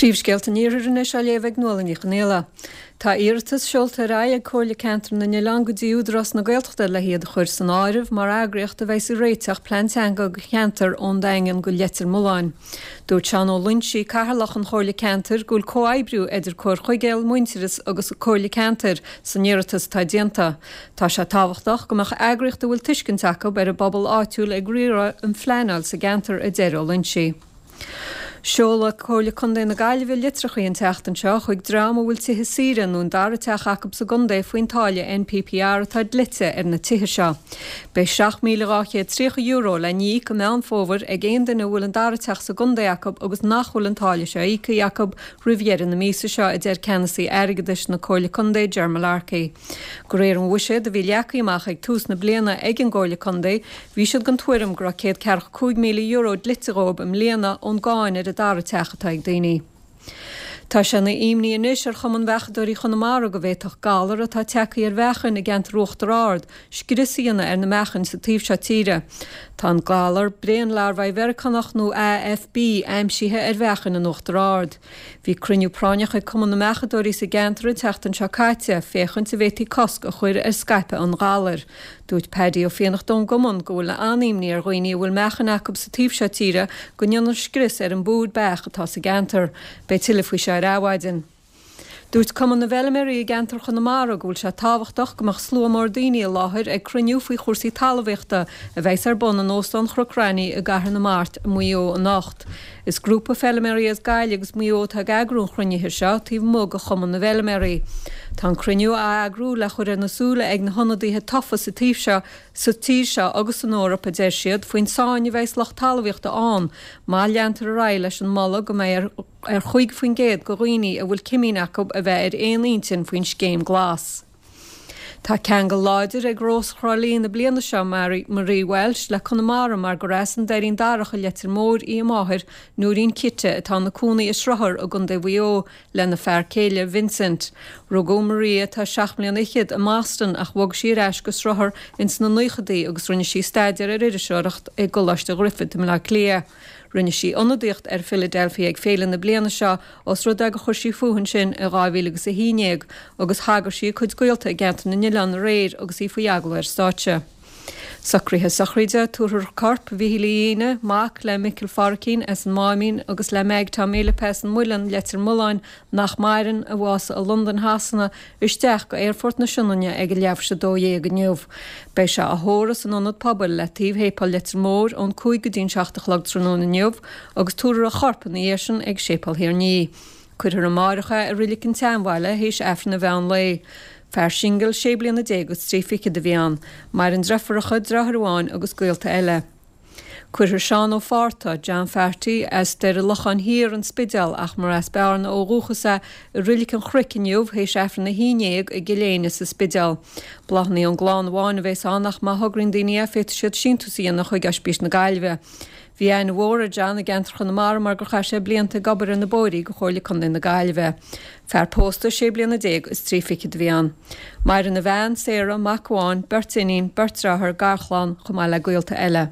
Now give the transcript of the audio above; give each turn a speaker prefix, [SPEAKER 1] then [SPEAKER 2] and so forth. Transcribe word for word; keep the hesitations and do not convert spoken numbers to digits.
[SPEAKER 1] Príomhscéalta an Iarthair anois á léamh ag Nuala Ní Chonghaile. Tá iarratas seolta ar aghaidh ag Comhairle Ceantar na nOileán go dtí Údarás na Gaeltachta le hiad a chur san áireamh mar eagraíocht a bheidh ag réiteach plean teanga do cheantar ón Daingean go Leitir Mealláin. Dúirt Seán Ó Loingsigh, Cathaoirleach an Chomhairle Ceantair, go bhfuil comhoibriú idir Comhar Chuigéal, Muintearas agus Comhairle Ceantair san iarratas atá déanta. Tá sé tábhachtach go mbeadh eagraíocht a bhfuil tuiscint acu ar an bpobal áitiúil ag riaradh an phleanáil sa gceantar, a deir Ó Loingsigh. Seoladh Comhairle Contae na Gaillimhe litreacha an tseachtain seo chuig dream a bhfuil tithe saoire nó an dara teach acu sa gcontae faoin táille N P P R atá dlite ar na tithe seo. Beidh seacht míle dhá chéad tríocha euro le n-íoc i Meán Fómhair ag aon duine a bhfuil an dara teach sa gcontae acu agus nach bhfuil an táille seo íoctha acu roimh dheireadh na míosa seo, a deir ceannasaí airgeadais na Comhairle Contae Ger Mullarkey. De réir an bhuiséid a bhí leagtha amach ag tús na bliana ag an gComhairle Contae, bhí siad den tuairim go raibh céad ceathracha cúig míle euro dlite dhóibh i mbliana ón gcáin ar an dara teach atá ag daoine. Tá sé ina imní anois ar Chumann Bheachadóirí Chonamara go bhféadfadh galar atá tagtha ar bheachain i gceantar Uachtar Ard scrios a dhéanamh ar na meachain sa taobh seo tíre. Tá an galar braon larbhaí Mheiriceánach nó A F B aimsithe ar bheachain in Uachtar Ard. Bhí cruinniú práinneach ag Cumann na mBeachadóirí sa gceantar an tseachtain seo caite, féachaint an bhféadfaí cosc a chur ar scaipeadh an ghalair. Dúirt Paddy Ó Fiannachta ón gcumann go bhfuil an-imní ar dhaoine a bhfuil meachain acu sa taobh seo tíre go ndéanfar scrios ar an bpúd beach atá sa gceantar. Beidh tuilleadh faoi seo ar Adhmhaidin. Dúirt Cumann na bhFeilméaraí i gceantar Chonamara go bhfuil sé tábhachtach go mbeadh slua mór daoine i láthair ag cruinniú faoi chúrsaí talmhaíochta a bheidh ar bun in Óstán Chnoc Raithní i gCathair na Mart i Maigh Eo anocht. Is grúpa feilméaraí as Gaillimh agus Maigh Eo atá ag eagrú an chruinnithe seo taobh amuigh de Chumann na bhFeilméaraí. Tá an cruinniú á eagrú le chur ar na súile ag na hionadaithe tofa sa taobh seo sa tír seo agus san Eoraip, a deir siad, faoin sáinn a bheidh lucht talmhaíochta ann má leantar ar aghaidh leis an moladh go mbeidh ar ar chúig faoin gcéad de dhaoine a bhfuil cimín acu a bheith ar aon intinn faoin scéim glas. Tá ceangal láidir ag Rós Thrá Lí na bliana seo Mary Marie Walsh le Conamara mar gur as an Doirín Darach i Leitir Móir í a máthair Nóirín Citte atá ina cónaí i Sruthar i gContae Mhaigh Eo lena fear céile Vincent. Rugadh Maria tá seacht mbliana fhichead i mBoston ach bhog sí ar ais go Sruthar ins na naochadaí agus rinne sí staidéar ar iriseoireacht i gColáiste Ghriffith i mBleá Cliath. Rinne sí ionadaíocht ar Philadelphia ag féile na bliana seo os rud é gur chuir sí fúithi ansin i dhá mhíle agus a haon déag agus thagair sí a cuid gaolta i gceantar na nOileán aréir agus í faoi agallamh ar stáitse. Socruithe sochraide, tabharfar corp Mhichíl Uí Aoine, mac le Micil Pháricín as an Máimín agus le Meg Tom Fhilip as an Muileann, Leitir Mealláin, nach maireann, a bhásaigh i Londain Shasana, isteach go Aerfort na Sionainne ag a leathuair tar éis a dó dhéag inniu. Beidh sé á thórramh san ionad pobail le taobh shéipéal Leitir Móir ón cúig go dtí'n seacht a chlog tráthnóna inniu agus tabharfar a chorp ina dhiaidh sin ag séipéal Thír an Fhia. Cuirfear amárach é i Reilig an tSeanbhaile théis Aifreann an mheán lae. Fear singil sé bliana déag agus trí fichid a bhí ann, maireann deirfiúracha, deartháir amháin agus gaolta eile. Cuirfear Seán Ó Fátharta, John Farty, as Doire Locháin Thiar an Spidéal ach mar as Bearna ó dhúchas é i Reilig an Chnoic inniu théis Aifreann a haon déag i gCill Éinne sa Spidéal. Bláthanna ón gclann amháin a bheas ann ach má thograíonn daoine é féadfaidh siad síntiús a dhéanamh chuig Ospís na Gaillimhe. Bhí aithne mhór ar John i gceantar Chonamara mar gur chaith sé blianta ag obair ar na bóithre do Chomhairle Contae na Gaillimhe. Fear pósta sé bliana déag is trí fichid a bhí ann. Maireann a bhean, Sarah, mac amháin, beirt iníon, beirt deartháir, garchlann, chomh maith le gaolta eile.